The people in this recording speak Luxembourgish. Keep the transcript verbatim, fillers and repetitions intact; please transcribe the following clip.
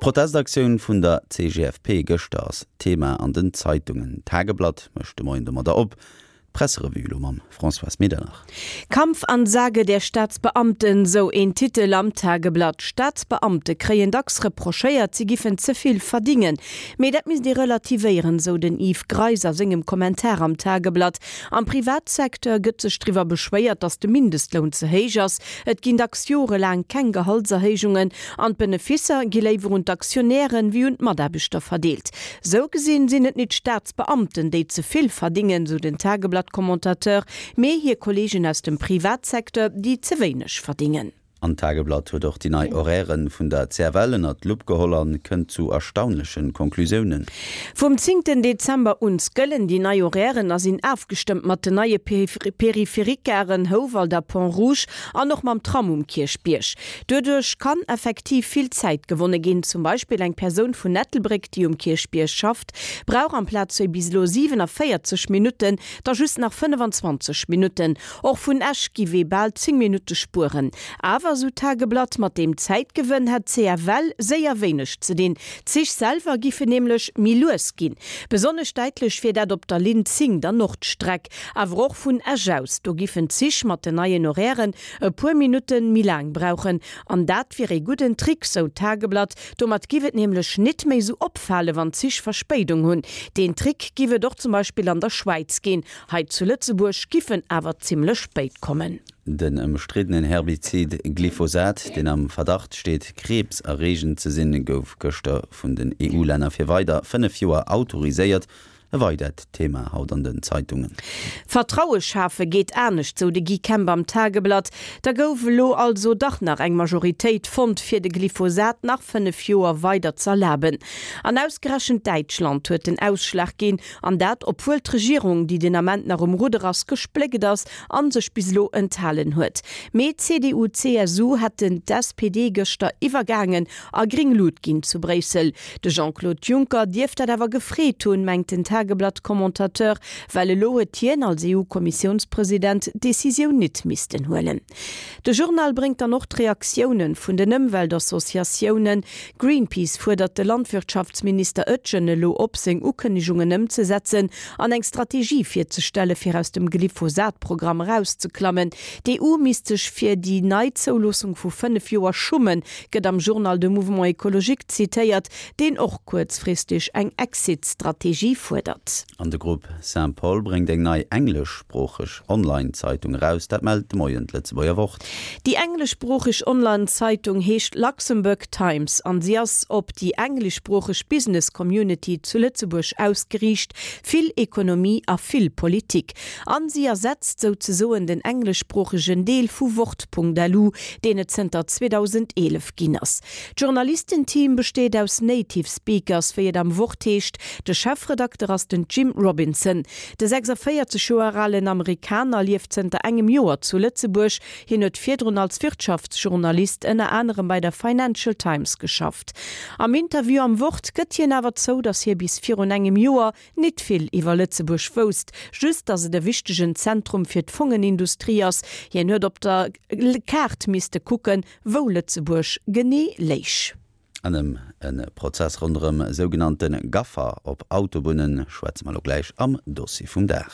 D'Protestaktioun vun der C G F P gëschter ass Thema an den Zeitungen. Tageblatt mécht de Moien domadder op. Presserevue lo mam Françoise Medernach. Kampfansage der Staatsbeamten, sou een Titel am Tageblatt. Staatsbeamte kréien dacks reprochéiert, si giffen ze vill verdingen. Mee dat misst ee relativéieren, sou den Yves Greis a sengem Kommentar am Tageblatt. Am Privatsecteur gëtt sech driwwer beschwéiert, datt de Mindestloun ze héich ass. Et ginn dacks jorelaang keng Gehaltserhéijungen an d'Beneficer gi léiwer un d'Aktionären wéi un d'Mataarbechter verdeelt. Sou gesinn sinn et net Staatsbeamten, déi ze vill verdingen, sou den Tageblatt-Commentateur, mee hir Kolleegen aus dem Privatsecteur, déi ze wéineg verdingen. An Tageblatt huet och déi nei Horairen vun der C F L ënnert d'Lupp geholl an kënnt zu erstaunleche Konklusiounen. Vum zéngten Dezember un gëllen déi nei Horairen a sinn ofgestëmmt mat den neie Périphérique-Garen Houwald a Pont-Rouge an och mam Tram um Kierchbierg. Doduerch kann effektiv vill Zäit gewonne ginn, zum Beispill eng Persoun vun Ettelbréck, déi um Kierchbierg schafft, brauch amplaz wéi bis elo siewenundvéierzeg Minutten da just nach fënnefenzwanzeg Minutten. Och vun Esch giff ee bal zéng Minutte spueren. Awer, sou Tageblatt, mat deem Zäitgewënn hätt d'C F L séier wéineg ze dinn. D'Zich selwer giffe nämlech méi lues ginn. Besonnesch däitlech wier dat op der Linn zéng, der Nordstreck, awer och vun Esch aus. Do giffen d'Zich mat den neien Horairen e puer Minutte méi laang brauchen. An dat wier e gudden Trick, sou Tageblatt. Domat giff et nämlech net méi sou opfale wann Zich Verspéidung hunn. Den Trick giff et och zum Beispill an der Schwäiz ginn. Hei zu Lëtzebuerg giff en awer zimmlech spéit kommen. Den ëmstriddenen Herbizid Glyphosat, deen am Verdacht steet, kriibserreegend ze sinn, gouf gëschter vun den E U-Länner fir weider fënnef Joer autoriséiert. E weidert Thema haut an den Zeitungen. Vertraue schafe geet anescht, sou de Guy Kemp am Tageblatt. Da gouf lo also dach nach eng Majoritéit fonnt fir de Glyphosat nach fënnef Joer weider z'erlaben. An ausgerechent Däitschland huet den Ausschlag ginn, an dat obwuel d'Regierung, déi den Ament nach um Rudder ass, gespléckt ass an sech bis lo enthalen huet. Mee C D U C S U hätten d'S P D gëschter iwwergaangen a gréng Luucht ginn zu Bréissel. De Jean-Claude Juncker dierft dat awer gefreet hunn, mengt den Tageblatt-Commentateur, well elo huet hien als E U-Kommissiounspresident d'Decisioun net missten huelen. De Journal bréngt dann och d'Reaktiounen vun den Ëmweltassociatiounen. Greenpeace fuerdert de Landwirtschaftsminister Oetjen elo op, seng Ukënnegungen ëmzesetzen an eng Strategie virzestelle fir aus dem Glyphosat-Programm erauszeklammen. D'E U misst sech fir déi nei Zouloossung vu fënnef Joer schummen, gëtt am Journal de Mouvement écologique zitéiert, deen och kuerzfristeg eng Exit-Strategie fuerdert. An de Grupp Saint-Paul bréngt eng nei engleschsproocheg Online-Zeitung eraus, dat mellt de Moien d'Lëtzebuerger Wort. Déi engleschsproocheg Online-Zeitung heescht Luxembourg Times an si ass op déi engleschsproocheg Business Community zu Lëtzebuerg ausgeriicht, vill Ekonomie a vill Politik. An si ersetzt souzesoen den engleschsproochegen Deel vu Wort Punkt L U, deen et zënter zweedausendeelef ginn ass. D'Journalistenteam besteet aus Native Speakers, wéi et am Wort heescht. De Chefredakter ass den Jim Robinson. De sechsundvéierzeg Joer alen Amerikaner lieft zënter engem Joer zu Lëtzebuerg, hien huet virdrun als Wirtschaftsjournalist ënner anerem bei der Financial Times geschafft. Am Interview am Wort gëtt hien awer zou, datt hie bis virun engem Joer net vill iwwer Lëtzebuerg wousst, just datt et e wichtegen Zentrum fir d'Fongenindustrie ass. Hien huet op der Kaart misste kucken, wou Lëtzebuerg genee läich. An ëm e Prozess ronderëm sougenannte Gaffer op Autobunne schwätze mer lo gläich am Dossier vum Dag.